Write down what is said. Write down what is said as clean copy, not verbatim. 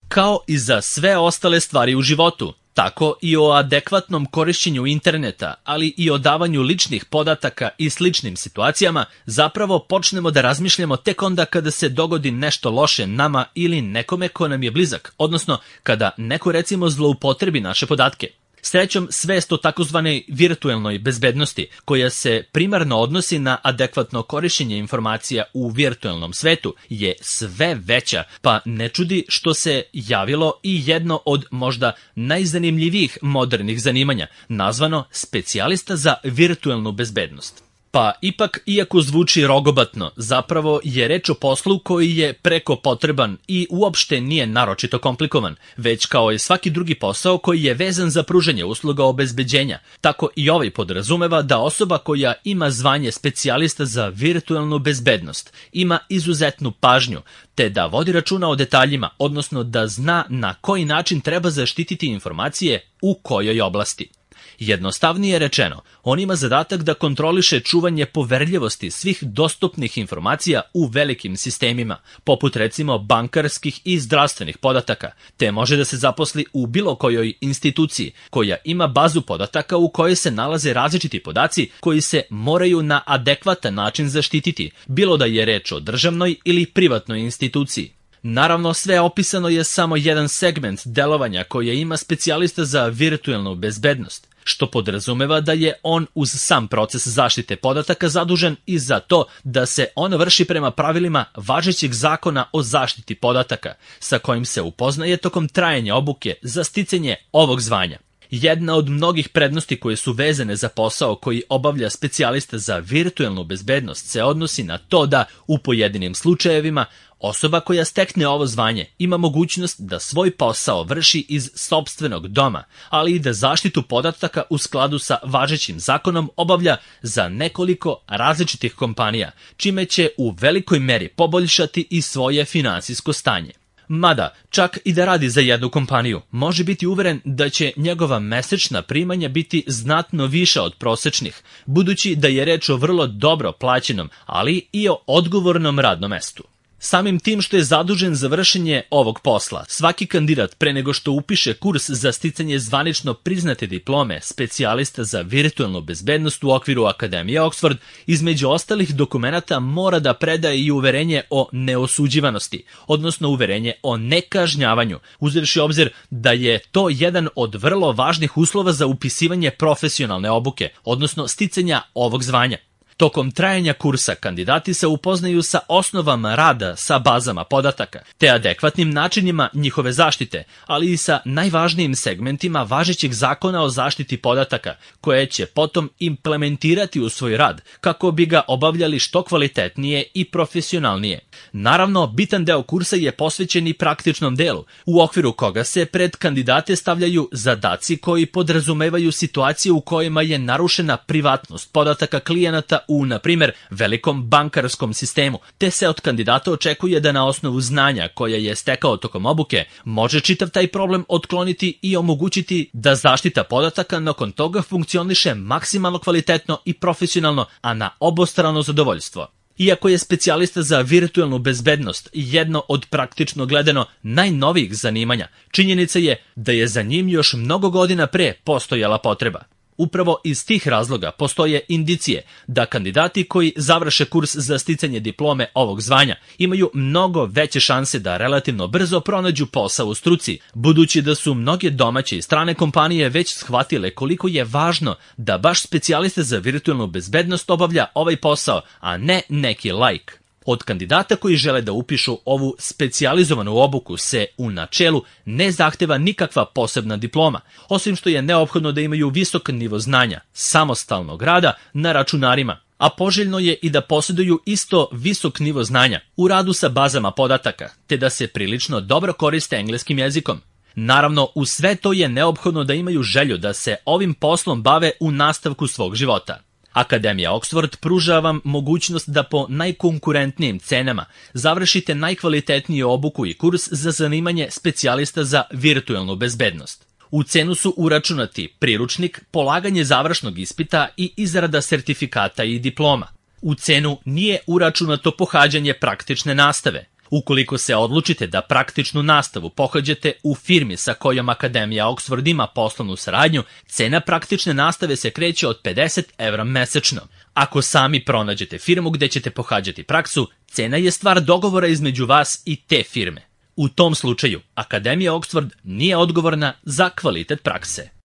Kao i za sve ostale stvari u životu, tako i o adekvatnom korišćenju interneta, ali i o davanju ličnih podataka i sličnim situacijama, zapravo počnemo da razmišljamo tek onda kada se dogodi nešto loše nama ili nekome ko nam je blizak, odnosno kada neko recimo zloupotrebi naše podatke. Srećom, svest o takozvanoj virtuelnoj bezbednosti, koja se primarno odnosi na adekvatno korišćenje informacija u virtuelnom svetu, je sve veća, pa ne čudi što se javilo i jedno od možda najzanimljivijih modernih zanimanja, nazvano specijalista za virtuelnu bezbednost. Pa ipak, iako zvuči rogobatno, zapravo je reč o poslu koji je preko potreban i uopšte nije naročito komplikovan, već kao i svaki drugi posao koji je vezan za pružanje usluga obezbeđenja. Tako i ovaj podrazumeva da osoba koja ima zvanje specijalista za virtuelnu bezbednost ima izuzetnu pažnju, te da vodi računa o detaljima, odnosno da zna na koji način treba zaštititi informacije u kojoj oblasti. Jednostavnije rečeno, on ima zadatak da kontroliše čuvanje poverljivosti svih dostupnih informacija u velikim sistemima, poput recimo bankarskih i zdravstvenih podataka, te može da se zaposli u bilo kojoj instituciji koja ima bazu podataka u kojoj se nalaze različiti podaci koji se moraju na adekvatan način zaštititi, bilo da je reč o državnoj ili privatnoj instituciji. Naravno, sve opisano je samo jedan segment delovanja koje ima specijalista za virtuelnu bezbednost, što podrazumeva da je on uz sam proces zaštite podataka zadužen i za to da se on vrši prema pravilima važećeg zakona o zaštiti podataka, sa kojim se upoznaje tokom trajanja obuke za sticanje ovog zvanja. Jedna od mnogih prednosti koje su vezane za posao koji obavlja specijalista za virtuelnu bezbednost se odnosi na to da, u pojedinim slučajevima, osoba koja stekne ovo zvanje ima mogućnost da svoj posao vrši iz sopstvenog doma, ali i da zaštitu podataka u skladu sa važećim zakonom obavlja za nekoliko različitih kompanija, čime će u velikoj meri poboljšati i svoje finansijsko stanje. Mada, čak i da radi za jednu kompaniju, može biti uveren da će njegova mesečna primanja biti znatno viša od prosečnih, budući da je reč o vrlo dobro plaćenom, ali i o odgovornom radnom mestu. Samim tim što je zadužen za vršenje ovog posla, svaki kandidat pre nego što upiše kurs za sticanje zvanično priznate diplome specijalista za virtuelnu bezbednost u okviru Akademije Oxford, između ostalih dokumenata mora da predaje i uverenje o neosuđivanosti, odnosno uverenje o nekažnjavanju, uzevši obzir da je to jedan od vrlo važnih uslova za upisivanje profesionalne obuke, odnosno sticanja ovog zvanja. Tokom trajanja kursa kandidati se upoznaju sa osnovama rada sa bazama podataka, te adekvatnim načinima njihove zaštite, ali i sa najvažnijim segmentima važećeg zakona o zaštiti podataka, koje će potom implementirati u svoj rad, kako bi ga obavljali što kvalitetnije i profesionalnije. Naravno, bitan deo kursa je posvećen i praktičnom delu, u okviru koga se pred kandidate stavljaju zadaci koji podrazumevaju situacije u kojima je narušena privatnost podataka klijenata u, na primjer, velikom bankarskom sistemu, te se od kandidata očekuje da na osnovu znanja koje je stekao tokom obuke može čitav taj problem otkloniti i omogućiti da zaštita podataka nakon toga funkcioniše maksimalno kvalitetno i profesionalno, a na obostrano zadovoljstvo. Iako je specijalista za virtuelnu bezbednost jedno od praktično gledano najnovijih zanimanja, činjenica je da je za njim još mnogo godina pre postojala potreba. Upravo iz tih razloga postoje indicije da kandidati koji završe kurs za sticanje diplome ovog zvanja imaju mnogo veće šanse da relativno brzo pronađu posao u struci, budući da su mnoge domaće i strane kompanije već shvatile koliko je važno da baš specijalista za virtuelnu bezbednost obavlja ovaj posao, a ne neki laik. Od kandidata koji žele da upišu ovu specijalizovanu obuku se u načelu ne zahteva nikakva posebna diploma, osim što je neophodno da imaju visok nivo znanja, samostalnog rada na računarima, a poželjno je i da posjeduju isto visok nivo znanja u radu sa bazama podataka, te da se prilično dobro koriste engleskim jezikom. Naravno, u sve to je neophodno da imaju želju da se ovim poslom bave u nastavku svog života. Akademija Oxford pruža vam mogućnost da po najkonkurentnijim cenama završite najkvalitetniju obuku i kurs za zanimanje specijalista za virtuelnu bezbednost. U cenu su uračunati priručnik, polaganje završnog ispita i izrada sertifikata i diploma. U cenu nije uračunato pohađanje praktične nastave. Ukoliko se odlučite da praktičnu nastavu pohađate u firmi sa kojom Akademija Oxford ima poslovnu saradnju, cena praktične nastave se kreće od 50 € mesečno. Ako sami pronađete firmu gde ćete pohađati praksu, cena je stvar dogovora između vas i te firme. U tom slučaju, Akademija Oxford nije odgovorna za kvalitet prakse.